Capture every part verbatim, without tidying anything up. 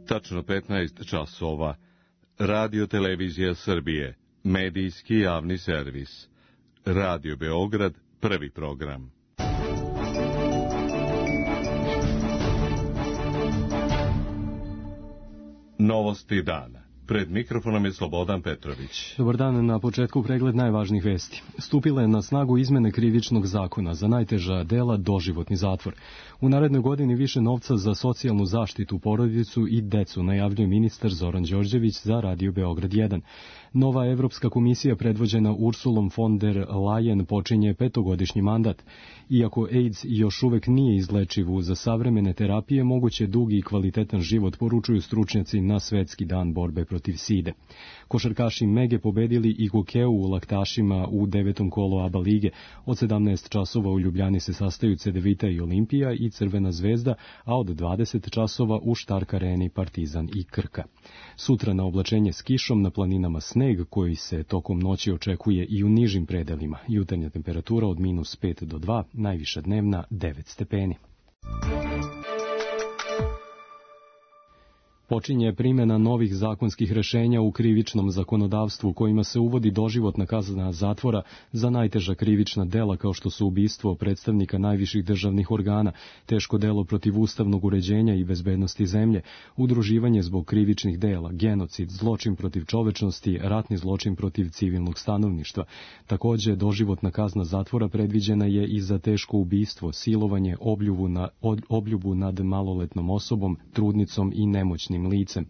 Tačno petnaest časova. Radio Televizija Srbije, medijski javni servis. Radio Beograd, prvi program. Novosti dana. Pred mikrofonom je Slobodan Petrović. Dobar dan, na početku pregled najvažnijih vesti. Stupile na snagu izmene krivičnog zakona, za najteža dela doživotni zatvor. U narednoj godini više novca za socijalnu zaštitu, porodicu i decu, najavljuje ministar Zoran Đorđević za Radio Beograd jedan. Nova Evropska komisija predvođena Ursulom von der Leyen počinje petogodišnji mandat. Iako AIDS još uvek nije izlečiv, za savremene terapije moguće dugi i kvalitetan život, poručuju stručnjaci na Svetski dan borbe protiv side. Košarkaši Mege pobedili i Gokeu u Laktašima u devetom kolu ABA lige. Od sedamnaest časova u Ljubljani se sastaju Cedevita i Olimpija i Crvena zvezda, a od dvadeset časova u Štark areni Partizan i Krka. Sutra na oblačenje s kišom, na planinama sneg koji se tokom noći očekuje i u nižim predelima. Jutarnja temperatura od minus pet do dva, najviša dnevna devet stepeni. Počinje primjena novih zakonskih rešenja u krivičnom zakonodavstvu kojima se uvodi doživotna kazna zatvora za najteža krivična dela kao što su ubistvo predstavnika najviših državnih organa, teško delo protiv ustavnog uređenja i bezbednosti zemlje, udruživanje zbog krivičnih dela, genocid, zločin protiv čovečnosti, ratni zločin protiv civilnog stanovništva. Takođe, doživotna kazna zatvora predviđena je i za teško ubistvo, silovanje, obljubu, na, obljubu nad maloletnom osobom, trudnicom i nemoćnim licem.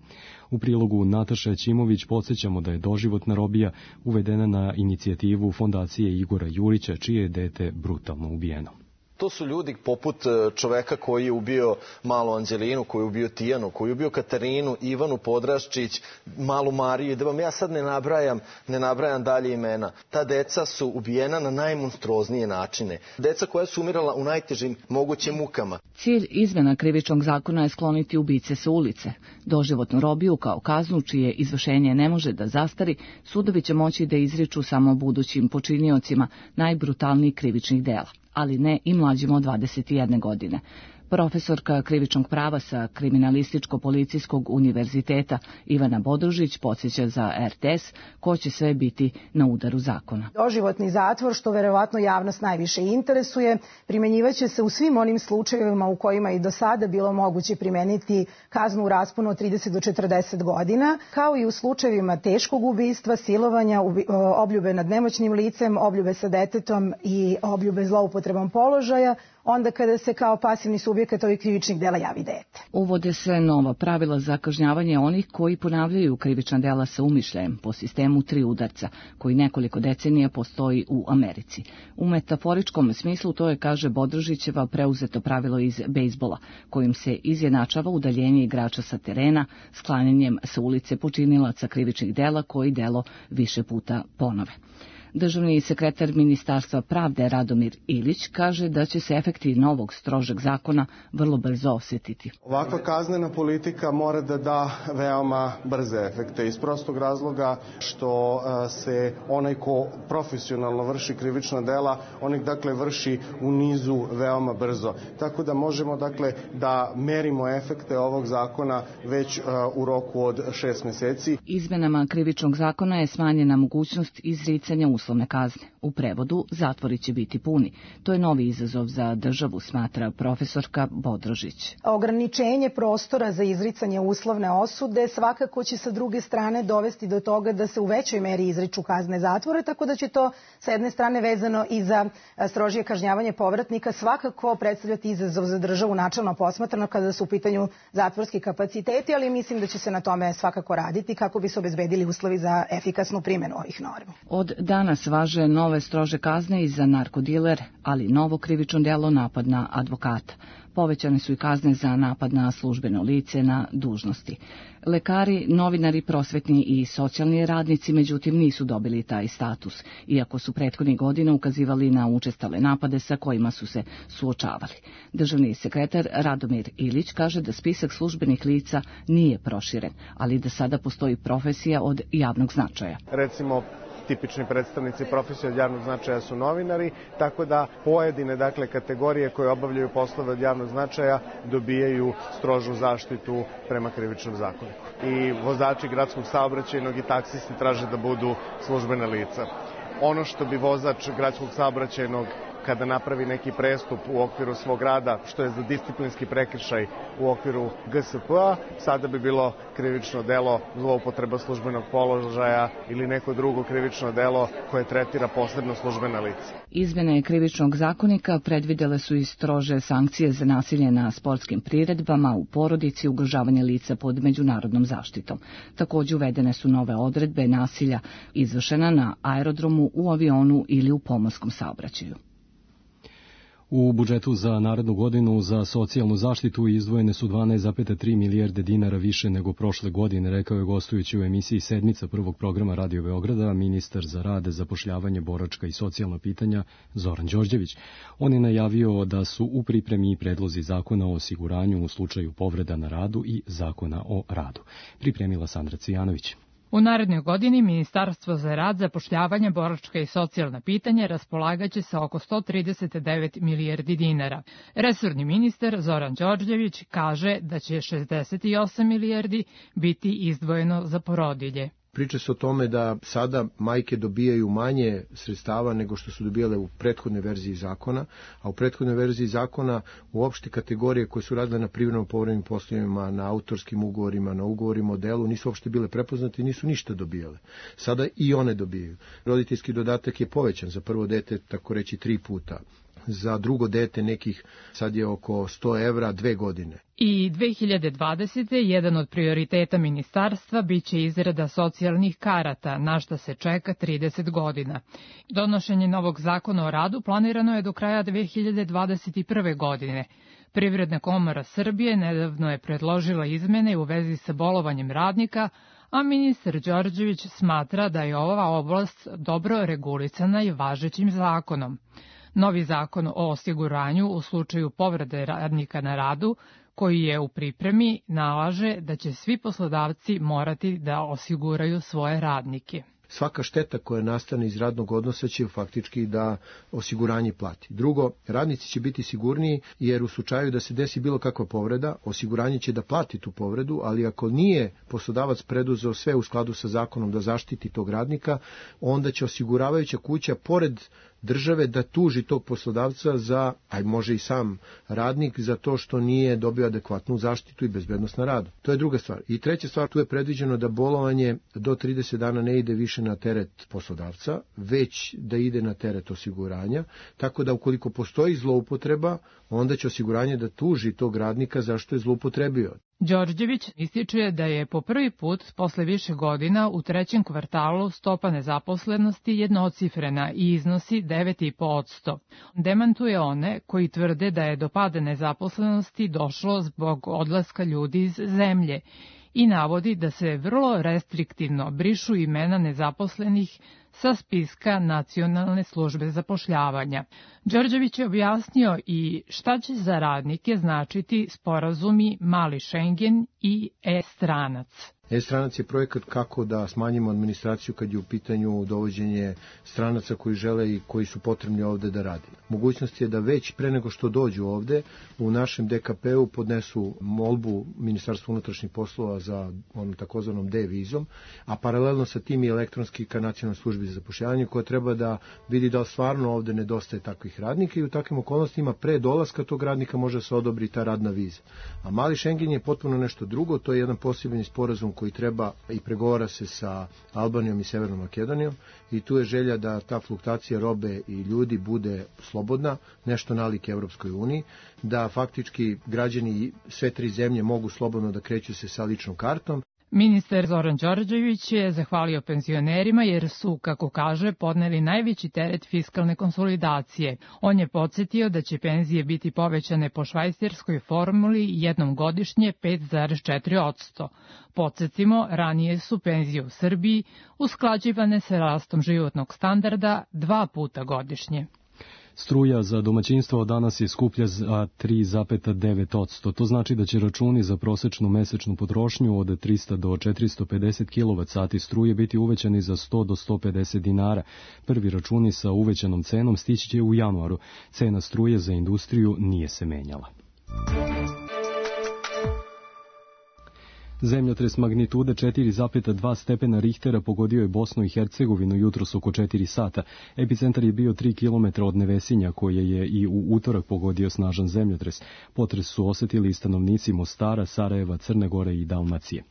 U prilogu Nataša Ćimović podsjećamo da je doživotna robija uvedena na inicijativu Fondacije Igora Jurića, čije je dete brutalno ubijeno. To su ljudi poput čoveka koji je ubio malu Anđelinu, koji je ubio Tijanu, koji je ubio Katarinu, Ivanu Podraščić, malu Mariju, da vam ja sad ne nabrajam, ne nabrajam dalje imena. Ta deca su ubijena na najmonstruoznije načine. Deca koja su umirala u najtežim mogućim mukama. Cilj izmena krivičnog zakona je skloniti ubice sa ulice. Doživotnu robiju kao kaznu čije izvršenje ne može da zastari, sudovi će moći da izriču samo budućim počiniocima najbrutalnijih krivičnih dela, ali ne i mlađima od dvadeset jedne godine. Profesorka krivičnog prava sa Kriminalističko-policijskog univerziteta Ivana Bodružić podsjeća za R T S ko će sve biti na udaru zakona. Doživotni zatvor, što verovatno javnost najviše interesuje, primenjivaće se u svim onim slučajevima u kojima i do sada bilo moguće primeniti kaznu u rasponu od trideset do četrdeset godina, kao i u slučajevima teškog ubistva, silovanja, obljube nad nemoćnim licem, obljube sa detetom i obljube zloupotrebom položaja, onda kada se kao pasivni subjekat ovih krivičnih dela javi dete. Uvode se nova pravila za kažnjavanje onih koji ponavljaju krivična dela sa umišljajem po sistemu tri udarca, koji nekoliko decenija postoji u Americi. U metaforičkom smislu to je, kaže Bodružićeva, preuzeto pravilo iz bejsbola, kojim se izjednačava udaljenje igrača sa terena, sklanjanjem sa ulice počinilaca krivičnih dela koji delo više puta ponove. Državni sekretar Ministarstva pravde Radomir Ilić kaže da će se efekti novog strožeg zakona vrlo brzo osjetiti. Ovakva kaznena politika mora da da veoma brze efekte iz prostog razloga što se onaj ko profesionalno vrši krivična dela, on ih dakle vrši u nizu veoma brzo. Tako da možemo dakle da merimo efekte ovog zakona već u roku od šest meseci. Izmenama krivičnog zakona je smanjena mogućnost izricanja uslovne kazne. U prevodu, zatvori će biti puni. To je novi izazov za državu, smatra profesorka Bodrožić. Ograničenje prostora za izricanje uslovne osude svakako će sa druge strane dovesti do toga da se u većoj meri izriču kazne zatvora, tako da će to sa jedne strane vezano i za strožije kažnjavanje povratnika svakako predstavljati izazov za državu načelno posmatrano kada su u pitanju zatvorski kapaciteti, ali mislim da će se na tome svakako raditi kako bi se obezbedili uslovi za efikasnu primjenu ovih normi. Od danas važe nove strože kazne i za narkodiler, ali novo krivično delo napad na advokata. Povećane su i kazne za napad na službeno lice na dužnosti. Lekari, novinari, prosvetni i socijalni radnici međutim nisu dobili taj status, iako su prethodnih godina ukazivali na učestale napade sa kojima su se suočavali. Državni sekretar Radomir Ilić kaže da spisak službenih lica nije proširen, ali da sada postoji profesija od javnog značaja. Recimo, tipični predstavnici profesije od javnog značaja su novinari, tako da pojedine dakle kategorije koje obavljaju poslove od javnog značaja dobijaju strožu zaštitu prema krivičnom zakoniku. I vozači gradskog saobraćajnog i taksisti traže da budu službena lica. Ono što bi vozač gradskog saobraćajnog kada napravi neki prestup u okviru svog rada, što je za disciplinski prekršaj u okviru G S P-a, sada bi bilo krivično delo zloupotreba službenog položaja ili neko drugo krivično delo koje tretira posebno službena lica. Izmene krivičnog zakonika predvidele su i strože sankcije za nasilje na sportskim priredbama, u porodici, ugrožavanje lica pod međunarodnom zaštitom. Takođe uvedene su nove odredbe nasilja izvršena na aerodromu, u avionu ili u pomorskom saobraćaju. U budžetu za narednu godinu za socijalnu zaštitu izdvojene su dvanaest zarez tri milijarde dinara više nego prošle godine, rekao je gostujući u emisiji Sedmica prvog programa Radio Beograda ministar za rad, zapošljavanje, boračka i socijalna pitanja Zoran Đorđević. On je najavio da su u pripremi predlozi zakona o osiguranju u slučaju povreda na radu i zakona o radu. Pripremila Sandra Cijanović. U narednoj godini Ministarstvo za rad, zapošljavanje, boračka i socijalna pitanja raspolagaće sa oko sto trideset devet milijardi dinara. Resorni ministar Zoran Đorđević kaže da će šezdeset osam milijardi biti izdvojeno za porodilje. Priča se o tome da sada majke dobijaju manje sredstava nego što su dobijale u prethodnoj verziji zakona, a u prethodnoj verziji zakona uopšte kategorije koje su radile na privremeno povremenim poslovima, na autorskim ugovorima, na ugovorima o delu, nisu uopšte bile prepoznate i nisu ništa dobijale. Sada i one dobijaju. Roditeljski dodatak je povećan za prvo dete, tako reći, tri puta. Za drugo dete nekih sad je oko sto evra dve godine. I dve hiljade dvadesete. jedan od prioriteta ministarstva biće izrada socijalnih karata, na šta se čeka trideset godina. Donošenje novog zakona o radu planirano je do kraja dve hiljade dvadeset prve. godine. Privredna komora Srbije nedavno je predložila izmene u vezi sa bolovanjem radnika, a ministar Đorđević smatra da je ova oblast dobro regulisana i važećim zakonom. Novi zakon o osiguranju u slučaju povrede radnika na radu, koji je u pripremi, nalaže da će svi poslodavci morati da osiguraju svoje radnike. Svaka šteta koja nastane iz radnog odnosa će faktički da osiguranje plati. Drugo, radnici će biti sigurniji jer u slučaju da se desi bilo kakva povreda, osiguranje će da plati tu povredu, ali ako nije poslodavac preduzeo sve u skladu sa zakonom da zaštiti tog radnika, onda će osiguravajuća kuća pored države da tuži tog poslodavca za, a može i sam radnik, za to što nije dobio adekvatnu zaštitu i bezbednost na radu. To je druga stvar. I treća stvar, tu je predviđeno da bolovanje do trideset dana ne ide više na teret poslodavca, već da ide na teret osiguranja, tako da ukoliko postoji zloupotreba, onda će osiguranje da tuži tog radnika zašto je zloupotrebio. Đorđević ističe da je po prvi put posle više godina u trećem kvartalu stopa nezaposlenosti jednocifrena i iznosi devet zarez pet posto. Demantuje one koji tvrde da je do pada nezaposlenosti došlo zbog odlaska ljudi iz zemlje i navodi da se vrlo restriktivno brišu imena nezaposlenih sa spiska Nacionalne službe zapošljavanja. Đorđević je objasnio i šta će za radnike značiti sporazumi Mali Šengen i e-stranac. E-stranac je projekat kako da smanjimo administraciju kad je u pitanju dovođenje stranaca koji žele i koji su potrebni ovde da radi. Mogućnost je da već pre nego što dođu ovde u našem D K P-u podnesu molbu Ministarstva unutrašnjih poslova za onom takozvanom D-vizom, a paralelno sa tim i elektronski ka Nacionalnoj službi za zapošljavanje koja treba da vidi da stvarno ovde nedostaje takvih radnika i u takvim okolnostima pre dolaska tog radnika može se odobri ta radna viza. A Mali Šengen je potpuno nešto drugo, to je jedan poseban sporazum koji treba i pregovara se sa Albanijom i Severnom Makedonijom i tu je želja da ta fluktacija robe i ljudi bude slobodna, nešto nalik Evropskoj uniji, da faktički građani sve tri zemlje mogu slobodno da kreću se sa ličnom kartom. Ministar Zoran Đorđević je zahvalio penzionerima jer su, kako kaže, podneli najveći teret fiskalne konsolidacije. On je podsjetio da će penzije biti povećane po švajcarskoj formuli jednom godišnje pet zarez četiri posto. Podsjetimo, ranije su penzije u Srbiji usklađivane sa rastom životnog standarda dva puta godišnje. Struja za domaćinstvo danas je skuplja za tri zarez devet posto. To znači da će računi za prosečnu mesečnu potrošnju od trista do četiristo pedeset kilovat sati struje biti uvećani za sto do sto pedeset dinara. Prvi računi sa uvećanom cenom stići će u januaru. Cena struje za industriju nije se menjala. Zemljotres magnitude četiri zarez dva stepena Richtera pogodio je Bosnu i Hercegovinu jutros oko četiri sata. Epicentar je bio tri kilometra od Nevesinja, koje je i u utorak pogodio snažan zemljotres. Potres su osetili i stanovnici Mostara, Sarajeva, Crne Gore i Dalmacije.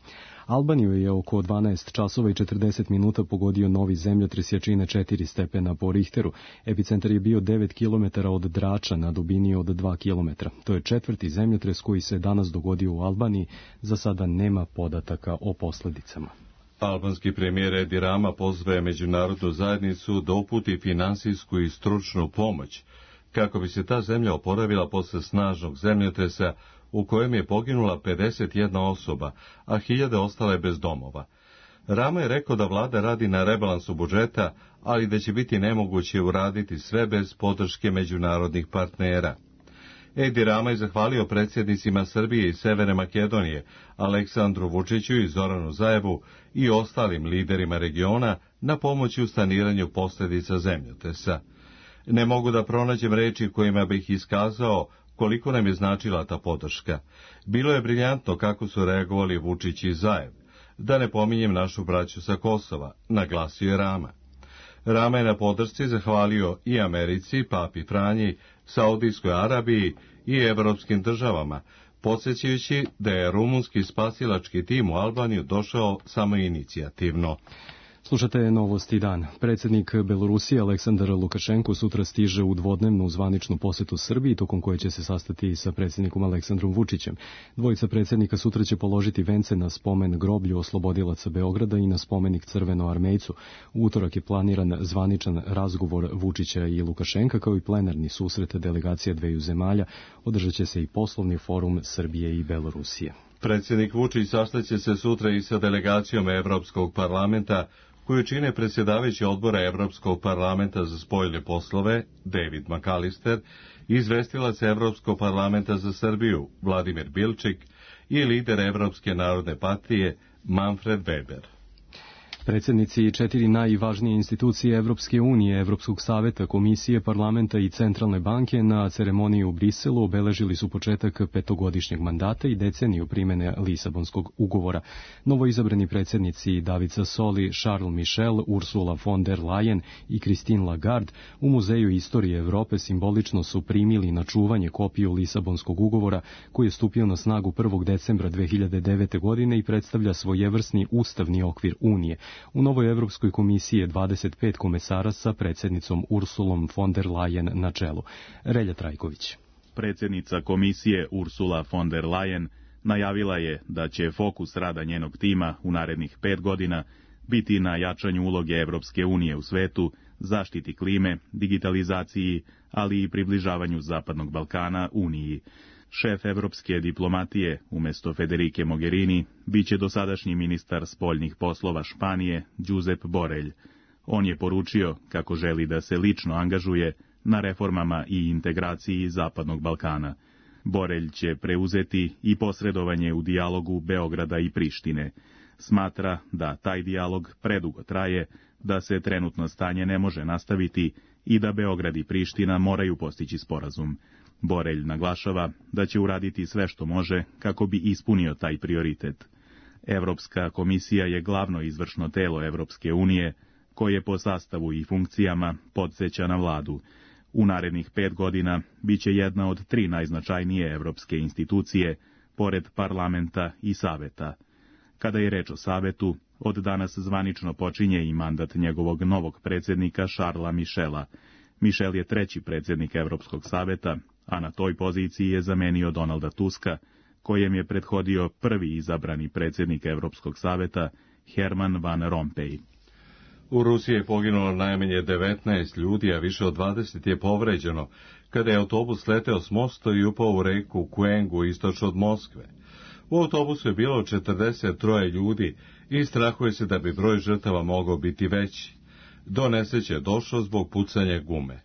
Albaniju je oko dvanaest časova i četrdeset minuta pogodio novi zemljotres jačine četiri stepena po Richteru. Epicentar je bio devet kilometara od Drača na dubini od dva kilometra. To je četvrti zemljotres koji se danas dogodio u Albaniji. Za sada nema podataka o posledicama. Albanski premijer Edi Rama pozvao je međunarodnu zajednicu da uputi finansijsku i stručnu pomoć kako bi se ta zemlja oporavila posle snažnog zemljotresa u kojem je poginula pedeset jedna osoba, a hiljade ostale bez domova. Rama je rekao da vlada radi na rebalansu budžeta, ali da će biti nemoguće uraditi sve bez podrške međunarodnih partnera. Edi Rama je zahvalio predsjednicima Srbije i Severne Makedonije, Aleksandru Vučiću i Zoranu Zaevu i ostalim liderima regiona na pomoći u saniranju posljedica zemljotresa. Ne mogu da pronađem reči kojima bih iskazao koliko nam je značila ta podrška. Bilo je briljantno kako su reagovali Vučić i Zaev. Da ne pominjem našu braću sa Kosova, naglasio je Rama. Rama je na podršci zahvalio i Americi, Papi Franji, Saudijskoj Arabiji i evropskim državama, podsjećajući da je rumunski spasilački tim u Albaniju došao samoinicijativno. Slušate Novosti dan. Predsjednik Belorusije Aleksandar Lukašenko sutra stiže u dvodnevnu zvaničnu posetu Srbiji, tokom koje će se sastati sa predsjednikom Aleksandrom Vučićem. Dvojica predsjednika sutra će položiti vence na spomen groblju oslobodilaca Beograda i na spomenik Crvenoarmejcu. U utorak je planiran zvaničan razgovor Vučića i Lukašenka, kao i plenarni susret delegacija dveju zemalja. Održat će se i poslovni forum Srbije i Belorusije. Predsjednik Vučić sastaće se sutra i sa delegacijom Evropskog parlamenta, koju čine predsjedavajući odbora Evropskog parlamenta za spoljne poslove, David McAllister, izvestilac Evropskog parlamenta za Srbiju, Vladimir Bilčik, i lider Evropske narodne partije, Manfred Weber. Predsjednici četiri najvažnije institucije Evropske unije, Evropskog saveta, Komisije, Parlamenta i Centralne banke na ceremoniji u Briselu obeležili su početak petogodišnjeg mandata i deceniju primjene Lisabonskog ugovora. Novoizabrani predsjednici David Sassoli, Charles Michel, Ursula von der Leyen i Christine Lagarde u Muzeju istorije Evrope simbolično su primili na čuvanje kopiju Lisabonskog ugovora koji je stupio na snagu prvog decembra dve hiljade devete. godine i predstavlja svojevrsni ustavni okvir Unije. U novoj Evropskoj komisiji je dvadeset pet komesara sa predsjednicom Ursulom von der Leyen na čelu. Relja Trajković. Predsjednica komisije Ursula von der Leyen najavila je da će fokus rada njenog tima u narednih pet godina biti na jačanju uloge Evropske unije u svetu, zaštiti klime, digitalizaciji, ali i približavanju Zapadnog Balkana Uniji. Šef evropske diplomatije, umjesto Federike Mogherini, biće dosadašnji ministar spoljnih poslova Španije, Josep Borrell. On je poručio kako želi da se lično angažuje na reformama i integraciji Zapadnog Balkana. Borrell će preuzeti i posredovanje u dijalogu Beograda i Prištine. Smatra da taj dijalog predugo traje, da se trenutno stanje ne može nastaviti i da Beograd i Priština moraju postići sporazum. Borrell naglašava da će uraditi sve što može kako bi ispunio taj prioritet. Evropska komisija je glavno izvršno telo Evropske unije, koje po sastavu i funkcijama podsjeća na vladu. U narednih pet godina bit će jedna od tri najznačajnije evropske institucije, pored parlamenta i saveta. Kada je reč o savetu, od danas zvanično počinje i mandat njegovog novog predsjednika Charlesa Michela. Michel je treći predsjednik Evropskog saveta, a na toj poziciji je zamenio Donalda Tuska, kojem je prethodio prvi izabrani predsjednik Evropskog saveta, Herman Van Rompuy. U Rusiji je poginulo najmanje devetnaest ljudi, a više od dvadeset je povređeno, kada je autobus leteo s mosta i upao u reku Kuengu istočno od Moskve. U autobusu je bilo četrdeset troje ljudi i strahuje se da bi broj žrtava mogao biti veći. Do nesreće je došlo zbog pucanja gume.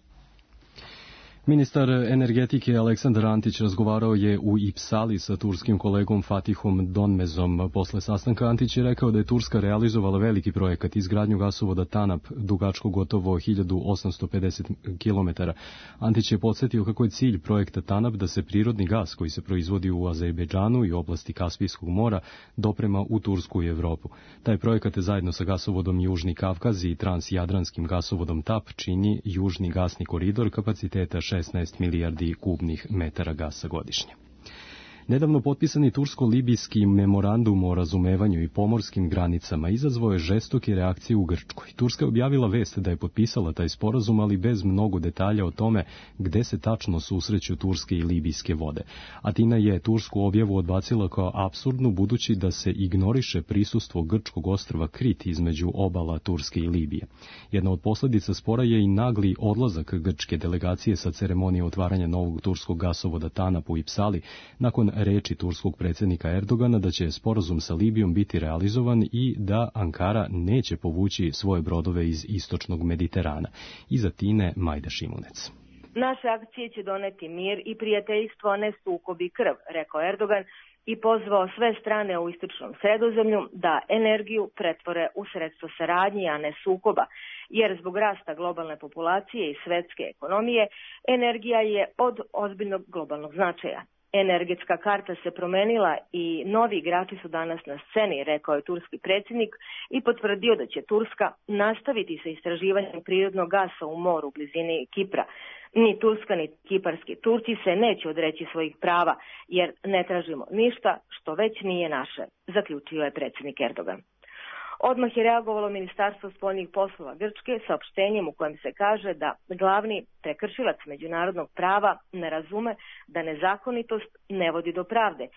Ministar energetike Aleksandar Antić razgovarao je u Ipsali sa turskim kolegom Fatihom Donmezom. Posle sastanka Antić je rekao da je Turska realizovala veliki projekat izgradnju gasovoda TANAP dugačko gotovo hiljadu osamsto pedeset kilometara. Antić je podsjetio kako je cilj projekta TANAP da se prirodni gas koji se proizvodi u Azerbejdžanu i oblasti Kaspijskog mora doprema u Tursku i Evropu. Taj projekat je zajedno sa gasovodom Južni Kavkaz i transjadranskim gasovodom TAP čini južni gasni koridor kapaciteta šesnaest milijardi kubnih metara gasa godišnje. Nedavno potpisani tursko-libijski memorandum o razumevanju i pomorskim granicama izazvao je žestoke reakcije u Grčkoj. Turska je objavila vest da je potpisala taj sporazum, ali bez mnogo detalja o tome gde se tačno susreću turske i libijske vode. Atina je tursku objavu odbacila kao apsurdnu, budući da se ignoriše prisustvo grčkog ostrva Krit između obala Turske i Libije. Jedna od posljedica spora je i nagli odlazak grčke delegacije sa ceremonije otvaranja novog turskog gasovoda TANAP u Ipsali, nakon reči turskog predsjednika Erdogana da će sporazum sa Libijom biti realizovan i da Ankara neće povući svoje brodove iz istočnog Mediterana. Iz Atine Majda Šimunec. Naše akcije će doneti mir i prijateljstvo, a ne sukob i krv, rekao Erdogan i pozvao sve strane u istočnom Sredozemlju da energiju pretvore u sredstvo saradnje, a ne sukoba, jer zbog rasta globalne populacije i svetske ekonomije energija je od ozbiljnog globalnog značaja. Energetska karta se promenila i novi igrači su danas na sceni, rekao je turski predsjednik i potvrdio da će Turska nastaviti sa istraživanjem prirodnog gasa u moru u blizini Kipra. Ni Turska ni kiparski Turci se neće odreći svojih prava, jer ne tražimo ništa što već nije naše, zaključio je predsjednik Erdogan. Odmah je reagovalo Ministarstvo spoljnih poslova Grčke saopštenjem u kojem se kaže da glavni prekršilac međunarodnog prava ne razume da nezakonitost ne vodi do pravde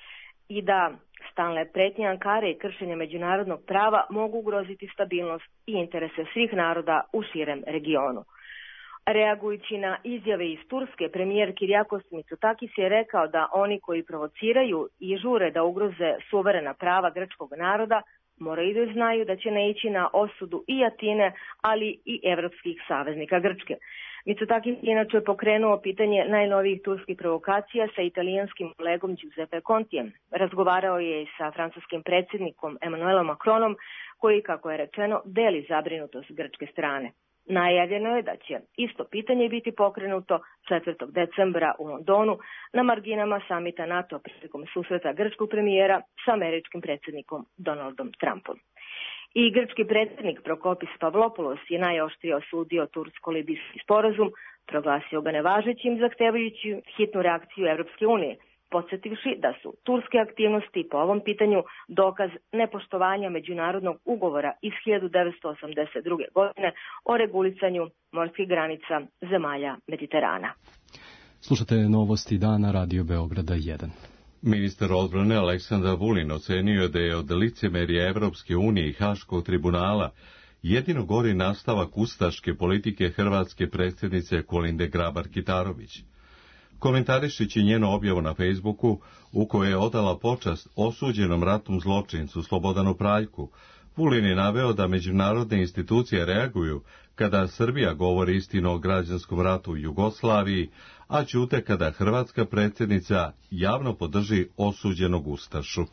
i da stalne pretnje Ankare i kršenje međunarodnog prava mogu ugroziti stabilnost i interese svih naroda u širem regionu. Reagujući na izjave iz Turske, premijer Kyriakos Mitsotakis je rekao da oni koji provociraju i žure da ugroze suverena prava grčkog naroda moraju da znaju da će ne ići na osudu i Atine, ali i evropskih saveznika Grčke. Mitsotakis je inače pokrenuo pitanje najnovijih turskih provokacija sa italijanskim kolegom Giuseppe Contijem. Razgovarao je i sa francuskim predsjednikom Emmanuelom Macronom, koji, kako je rečeno, deli zabrinutost grčke strane. Najavljeno je da će isto pitanje biti pokrenuto četvrtog decembra u Londonu na marginama samita NATO prilikom susreta grčkog premijera sa američkim predsjednikom Donaldom Trumpom. I grčki predsjednik Prokopis Pavlopoulos je najoštrije osudio tursko-libijski sporazum, proglasio ga nevažećim, zahtevajući hitnu reakciju Evropske unije, podsjetivši da su turske aktivnosti po ovom pitanju dokaz nepoštovanja međunarodnog ugovora iz hiljadu devetsto osamdeset druge. godine o regulisanju morskih granica zemalja Mediterana. Slušate novosti dana Radio Beograda jedan. Ministar odbrane Aleksandar Vulin ocenio je da je od licemerja Evropske unije i Haškog tribunala jedino gori nastavak ustaške politike hrvatske predsjednice Kolinde Grabar-Kitarović. Komentarišići njenu objavu na Facebooku, u kojoj je odala počast osuđenom ratnom zločincu Slobodanu Praljku, Vulin je naveo da međunarodne institucije reaguju kada Srbija govori istinu o građanskom ratu u Jugoslaviji, a ćute kada hrvatska predsjednica javno podrži osuđenog ustašu.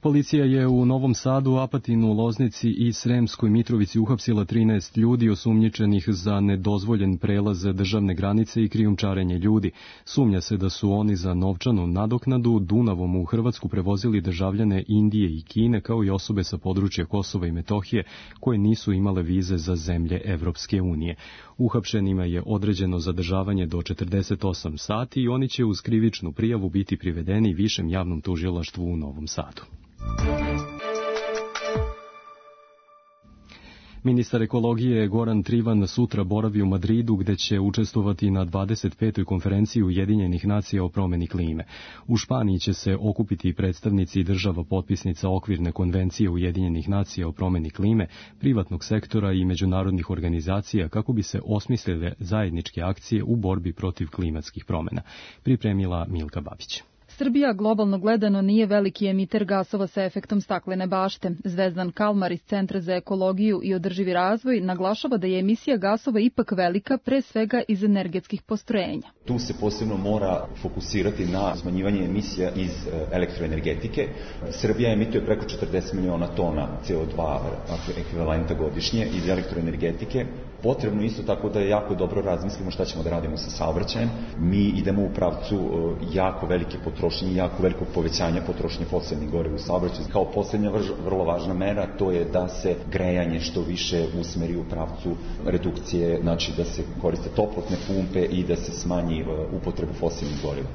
Policija je u Novom Sadu, Apatinu, Loznici i Sremskoj Mitrovici uhapsila trinaest ljudi osumnjičenih za nedozvoljen prelaz državne granice i krijumčarenje ljudi. Sumnja se da su oni za novčanu nadoknadu Dunavom u Hrvatsku prevozili državljane Indije i Kine, kao i osobe sa područja Kosova i Metohije koje nisu imale vize za zemlje Evropske unije. Uhapšenima je određeno zadržavanje do četrdeset osam sati i oni će uz krivičnu prijavu biti privedeni Višem javnom tužilaštvu u Novom Sadu. Ministar ekologije Goran Trivan sutra boravi u Madridu, gde će učestvovati na dvadeset petoj konferenciji Ujedinjenih nacija o promjeni klime. U Španiji će se okupiti predstavnici država potpisnica okvirne konvencije Ujedinjenih nacija o promjeni klime, privatnog sektora i međunarodnih organizacija kako bi se osmislile zajedničke akcije u borbi protiv klimatskih promjena. Pripremila Milka Babić. Srbija globalno gledano nije veliki emiter gasova sa efektom staklene bašte. Zvezdan Kalmar iz Centra za ekologiju i održivi razvoj naglašava da je emisija gasova ipak velika, pre svega iz energetskih postrojenja. Tu se posebno mora fokusirati na smanjivanje emisija iz elektroenergetike. Srbija emituje preko četrdeset miliona tona C O dva ekvivalenta godišnje iz elektroenergetike. Potrebno isto tako da je jako dobro razmislimo šta ćemo da radimo sa saobraćajem. Mi idemo u pravcu jako velike potrošnje i jako velikog povećanja potrošnje fosilnih goriva u saobraćaju. Kao poslednja vrlo važna mera to je da se grejanje što više usmeri u pravcu redukcije, znači da se koriste toplotne pumpe i da se smanji upotrebu fosilnih goriva.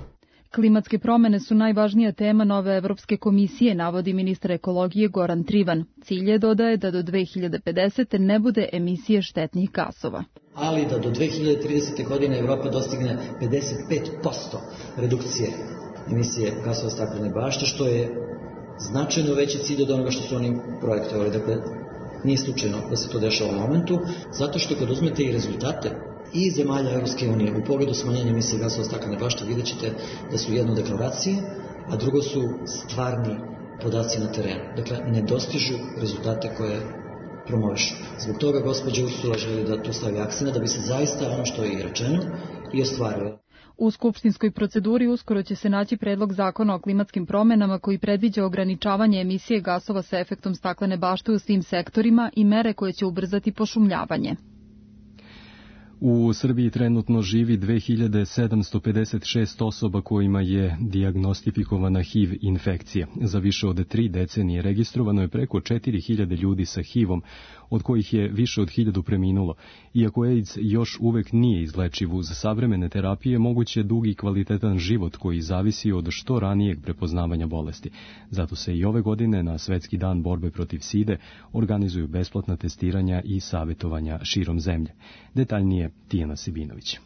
Klimatske promene su najvažnija tema nove Evropske komisije, navodi ministar ekologije Goran Trivan. Cilj je, dodaje, da do dve hiljade pedesete. ne bude emisije štetnih gasova. Ali da do dve hiljade tridesete. godine Evropa dostigne pedeset pet posto redukcije emisije gasova staklene bašte, što je značajno veći cilj od onoga što su oni projektovali. Dakle, nije slučajno da se to dešava u momentu, zato što kad uzmete i rezultate i zemalja Evropske unije u pogledu smanjenja emisije gasova staklene bašte, vidjet ćete da su jedno deklaracije, a drugo su stvarni podaci na terenu. Dakle, ne dostižu rezultate koje promovišu. Zbog toga gospođa Ursula želi da tu stavi akcent, da bi se zaista ono što je i rečeno i ostvarilo. U skupštinskoj proceduri uskoro će se naći predlog zakona o klimatskim promenama koji predviđa ograničavanje emisije gasova sa efektom staklene bašte u svim sektorima i mere koje će ubrzati pošumljavanje. U Srbiji trenutno živi dve hiljade sedamsto pedeset šest osoba kojima je dijagnostifikovana H I V infekcija. Za više od tri decenije registrovano je preko četiri hiljade ljudi sa H I V-om, od kojih je više od hiljadu preminulo. Iako AIDS još uvek nije izlečiv, uz savremene terapije moguće je dug i kvalitetan život koji zavisi od što ranijeg prepoznavanja bolesti. Zato se i ove godine na Svetski dan borbe protiv side organizuju besplatna testiranja i savjetovanja širom zemlje. Detaljnije Tijana Sibinović.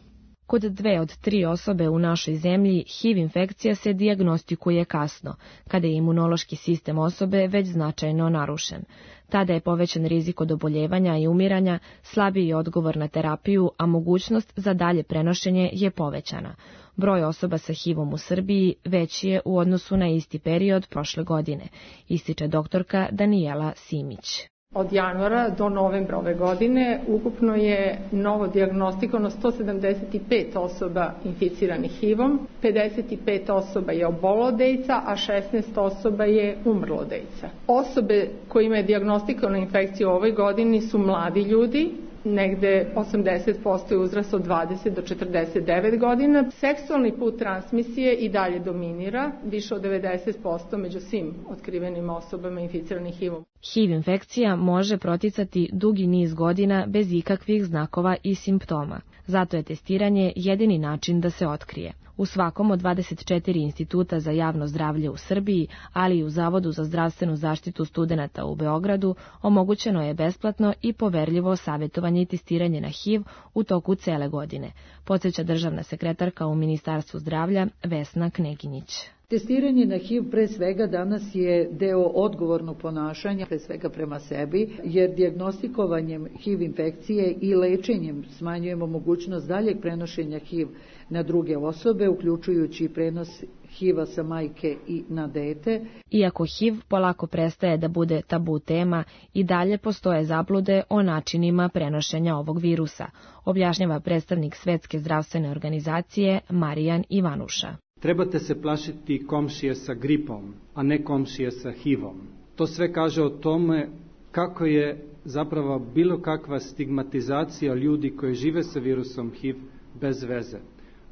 Kod dve od tri osobe u našoj zemlji H I V infekcija se dijagnostikuje kasno, kada je imunološki sistem osobe već značajno narušen. Tada je povećan rizik od oboljevanja i umiranja, slabiji odgovor na terapiju, a mogućnost za dalje prenošenje je povećana. Broj osoba sa H I V-om u Srbiji veći je u odnosu na isti period prošle godine, ističe doktorka Danijela Simić. Od januara do novembra ove godine ukupno je novo dijagnostikovano sto sedamdeset pet osoba inficiranih H I V-om, pedeset pet osoba je obolelo od AIDS-a, a šesnaest osoba je umrlo od AIDS-a. Osobe kojima je dijagnostikovana infekcija u ovoj godini su mladi ljudi, negde osamdeset posto je uzrast od dvadeset do četrdeset devet godina. Seksualni put transmisije i dalje dominira, više od devedeset posto među svim otkrivenim osobama inficiranih H I V-om. H I V infekcija može proticati dugi niz godina bez ikakvih znakova i simptoma. Zato je testiranje jedini način da se otkrije. U svakom od dvadeset četiri instituta za javno zdravlje u Srbiji, ali i u Zavodu za zdravstvenu zaštitu studenata u Beogradu, omogućeno je besplatno i poverljivo savjetovanje i testiranje na H I V u toku cele godine, podsjeća državna sekretarka u Ministarstvu zdravlja Vesna Kneginjić. Testiranje na H I V pre svega danas je deo odgovornog ponašanja, pre svega prema sebi, jer dijagnostikovanjem H I V infekcije i lečenjem smanjujemo mogućnost daljeg prenošenja H I V na druge osobe, uključujući i prenos H I V-a sa majke i na dete. Iako H I V polako prestaje da bude tabu tema, i dalje postoje zablude o načinima prenošenja ovog virusa, objašnjava predstavnik Svetske zdravstvene organizacije Marijan Ivanuša. Trebate se plašiti komšije sa gripom, a ne komšije sa H I V-om. To sve kaže o tome kako je zapravo bilo kakva stigmatizacija ljudi koji žive sa virusom H I V bez veze.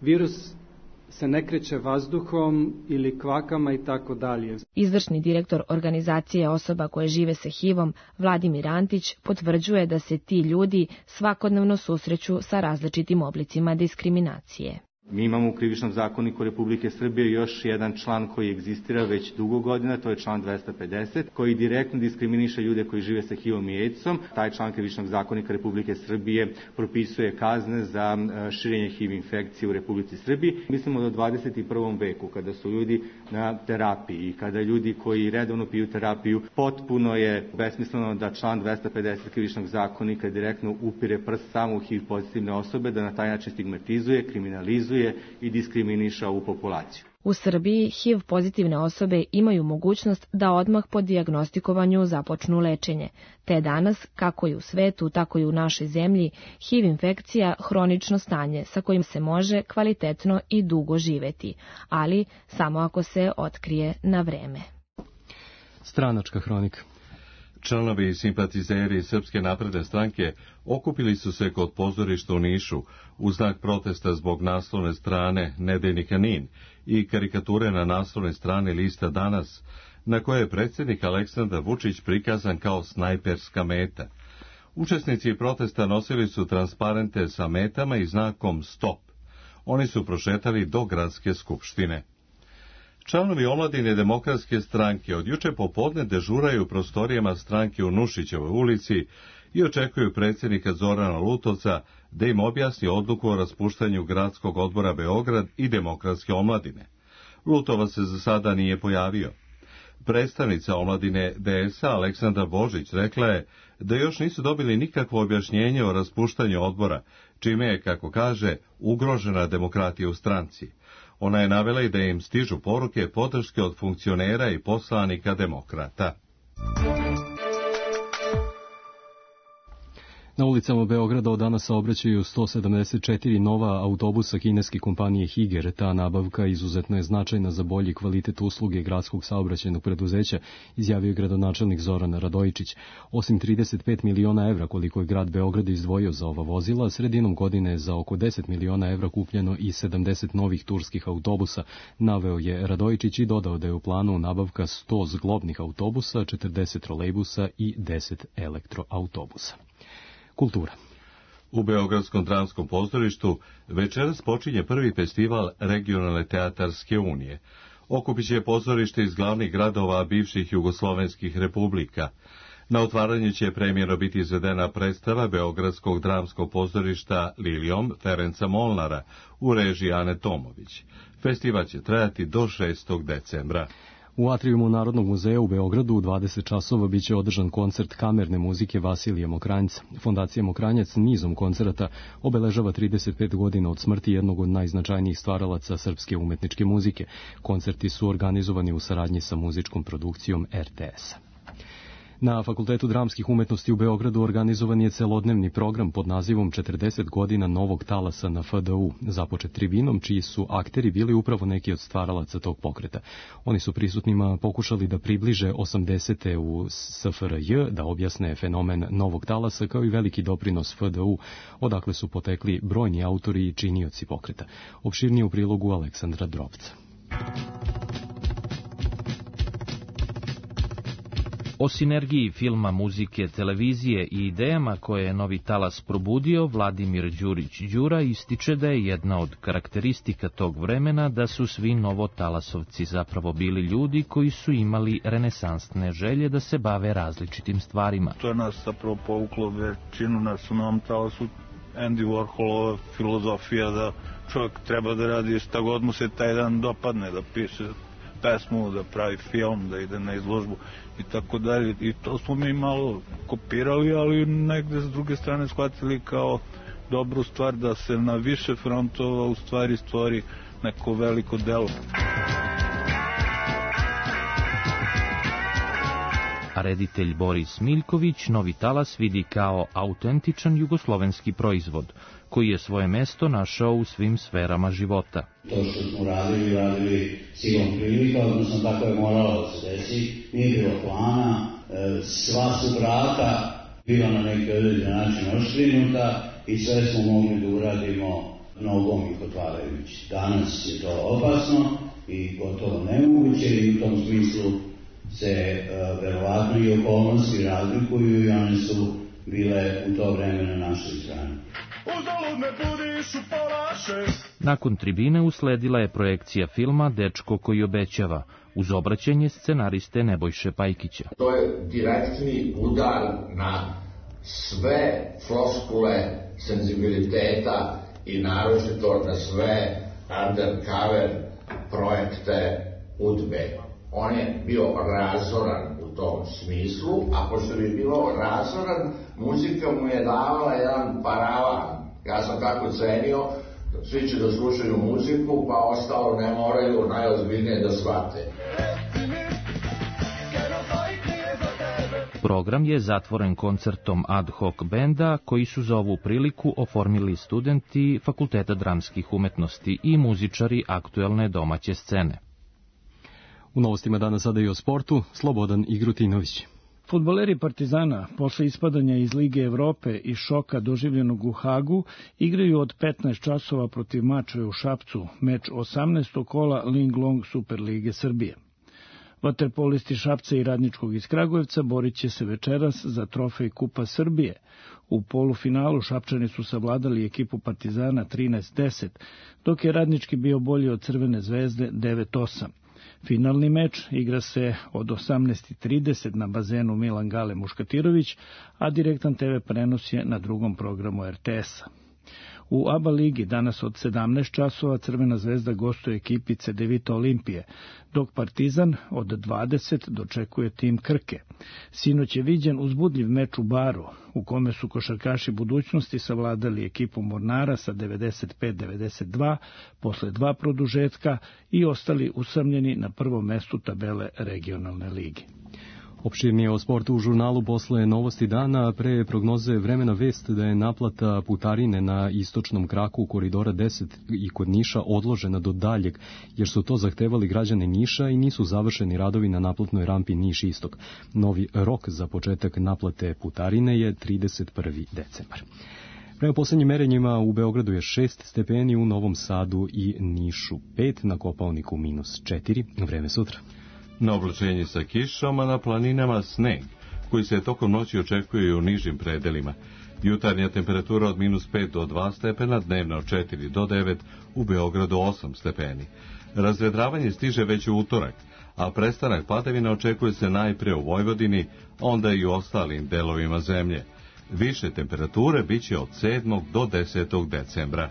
Virus se ne kreće vazduhom ili kvakama i tako dalje. Izvršni direktor organizacije osoba koje žive sa H I V-om, Vladimir Antić, potvrđuje da se ti ljudi svakodnevno susreću sa različitim oblicima diskriminacije. Mi imamo u Krivičnom zakoniku Republike Srbije još jedan član koji egzistira već dugo godina, to je član dvesta pedeset, koji direktno diskriminiše ljude koji žive sa H I V-om i AIDS-om. Taj član Krivičnog zakonika Republike Srbije propisuje kazne za širenje H I V infekcije u Republici Srbiji. Mislimo da u dvadeset prvom veku, kada su ljudi na terapiji i kada ljudi koji redovno piju terapiju, potpuno je besmisleno da član dvesta pedeset Krivičnog zakonika direktno upire prst samo u H I V pozitivne osobe, da na taj način stigmatizuje, kriminalizuje i diskriminiša ovu populaciju. U Srbiji H I V pozitivne osobe imaju mogućnost da odmah po dijagnostikovanju započnu lečenje, te danas, kako i u svetu, tako i u našoj zemlji, H I V infekcija hronično stanje sa kojim se može kvalitetno i dugo živeti, ali samo ako se otkrije na vreme. Stranačka hronika. Članovi i simpatizeri Srpske napredne stranke okupili su se kod pozorišta u Nišu u znak protesta zbog naslovne strane nedeljnika Nin i karikature na naslovnoj strani lista Danas, na koje je predsjednik Aleksandar Vučić prikazan kao snajperska meta. Učesnici protesta nosili su transparente sa metama i znakom Stop. Oni su prošetali do gradske skupštine. Članovi omladine Demokratske stranke od juče popodne dežuraju u prostorijama stranke u Nušićevoj ulici i očekuju predsjednika Zorana Lutovca da im objasni odluku o raspuštanju Gradskog odbora Beograd i Demokratske omladine. Lutovac se za sada nije pojavio. Predstavnica omladine D S A Aleksandra Božić rekla je da još nisu dobili nikakvo objašnjenje o raspuštanju odbora, čime je, kako kaže, ugrožena demokratija u stranci. Ona je navela i da im stižu poruke podrške od funkcionera i poslanika demokrata. Na ulicama Beograda od danas saobraćaju sto sedamdeset četiri nova autobusa kineske kompanije Higer. Ta nabavka izuzetno je značajna za bolji kvalitet usluge gradskog saobraćajnog preduzeća, izjavio je gradonačelnik Zoran Radojičić. Osim trideset pet miliona evra koliko je grad Beograd izdvojio za ova vozila, sredinom godine je za oko deset miliona evra kupljeno i sedamdeset novih turskih autobusa, naveo je Radojičić i dodao da je u planu nabavka sto zglobnih autobusa, četrdeset trolejbusa i deset elektroautobusa. Kultura. U Beogradskom dramskom pozorištu večeras počinje prvi festival Regionalne teatarske unije. Okupit će pozorište iz glavnih gradova bivših jugoslovenskih republika. Na otvaranju će premijerno biti izvedena predstava Beogradskog dramskog pozorišta Lilijom Ferenca Molnara u režiji Ane Tomović. Festival će trajati do šestog decembra. U atrijumu Narodnog muzeja u Beogradu u dvadeset časova biće održan koncert kamerne muzike Vasilija Mokranjca. Fondacija Mokranjac nizom koncerata obeležava trideset pet godina od smrti jednog od najznačajnijih stvaralaca srpske umetničke muzike. Koncerti su organizovani u saradnji sa muzičkom produkcijom R T S-a. Na Fakultetu dramskih umetnosti u Beogradu organizovan je celodnevni program pod nazivom četrdeset godina novog talasa na F D U, započet tribinom, čiji su akteri bili upravo neki od stvaralaca tog pokreta. Oni su prisutnima pokušali da približe osamdesete u S F R J, da objasne fenomen novog talasa kao i veliki doprinos F D U, odakle su potekli brojni autori i činioci pokreta. Opširnije u prilogu Aleksandra Drobca. O sinergiji filma, muzike, televizije i idejama koje je novi talas probudio, Vladimir Đurić Đura ističe da je jedna od karakteristika tog vremena da su svi novotalasovci zapravo bili ljudi koji su imali renesansne želje da se bave različitim stvarima. To je nas zapravo povuklo većinu nas u novom talasu. Andy Warholova filozofija da čovjek treba da radi šta god mu se taj dan dopadne, da piše pesmu, da pravi film, da ide na izložbu i tako dalje. I to smo mi malo kopirali, ali negde s druge strane shvatili kao dobru stvar da se na više frontova u stvari stvori neko veliko delo. A reditelj Boris Miljković novi talas vidi kao autentičan jugoslovenski proizvod, koji je svoje mesto našao u svim sferama života. To što smo radili, radili silom prilika, odnosno tako je moralo da se desi, nije bilo plana, sva su vrata bila na neki određen način oštrinuta i sve smo mogli da uradimo nogom ih otvarajući. Danas je to opasno i gotovo nemoguće i u tom smislu se uh, verovatno i okolnosti razlikuju i one su bile u to vreme na našoj strani. Nakon tribine usledila je projekcija filma Dečko koji obećava, uz obraćanje scenariste Nebojše Pajkića. To je direktni udar na sve floskule senzibiliteta i naročito na sve undercover projekte udbe. On je bio razoran u tom smislu, a pošto bi bilo razoran, muzika mu je davala jedan paravan. Ja sam tako cenio Svi će da slušaju muziku, pa ostalo ne moraju najozbiljnije da shvate. Program je zatvoren koncertom ad hoc benda koji su za ovu priliku oformili studenti Fakulteta dramskih umetnosti i muzičari aktuelne domaće scene. U novostima dana sada i o sportu, Slobodan Igrutinović. Fudbaleri Partizana, posle ispadanja iz Lige Evrope i šoka doživljenog u Hagu, igraju od petnaest časova protiv Mačve u Šapcu, meč osamnaestog kola Ling Long Superlige Srbije. Vaterpolisti Šapca i Radničkog iz Kragujevca borit će se večeras za trofej Kupa Srbije. U polufinalu Šapčani su savladali ekipu Partizana trinaest deset, dok je Radnički bio bolji od Crvene zvezde devet osam. Finalni meč igra se od osamnaest trideset na bazenu Milan Gale Muškatirović, a direktan te ve prenos je na drugom programu er te esa. U A B A ligi danas od sedamnaest časova Crvena zvezda gostuje ekipi Cedevita Olimpije, dok Partizan od dvadeset dočekuje tim Krke. Sinoć je viđen uzbudljiv meč u Baru, u kome su košarkaši budućnosti savladali ekipu Mornara sa devedeset pet devedeset dva posle dva produžetka i ostali usamljeni na prvom mestu tabele regionalne lige. Opširnije o sportu u žurnalu posle novosti dana, pre prognoze vremena vest da je naplata putarine na istočnom kraku koridora deset i kod Niša odložena do daljeg, jer su to zahtevali građani Niša i nisu završeni radovi na naplatnoj rampi Niš-Istok. Novi rok za početak naplate putarine je trideset prvi decembar. Prema poslednjim merenjima u Beogradu je šest stepeni, u Novom Sadu i Nišu pet, na Kopaoniku minus četiri, vreme sutra. Na oblačenje sa kišom, a na planinama sneg, koji se tokom noći očekuje u nižim predelima. Jutarnja temperatura od minus pet do dva stepena, dnevna od četiri do devet, u Beogradu osam stepeni. Razvedravanje stiže već u utorak, a prestanak padavina očekuje se najpre u Vojvodini, onda i u ostalim delovima zemlje. Više temperature biće od sedmog do desetog decembra.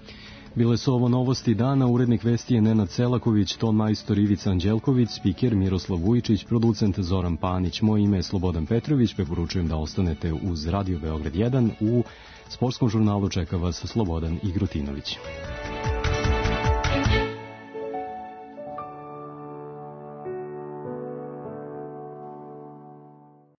Bile su ovo novosti dana, urednik vesti je Nenad Selaković, ton majstor Ivica Anđelković, spiker Miroslav Vujičić, producent Zoran Panić. Moje ime je Slobodan Petrović, preporučujem da ostanete uz Radio Beograd jedan. U sportskom žurnalu čeka vas Slobodan Igrutinović.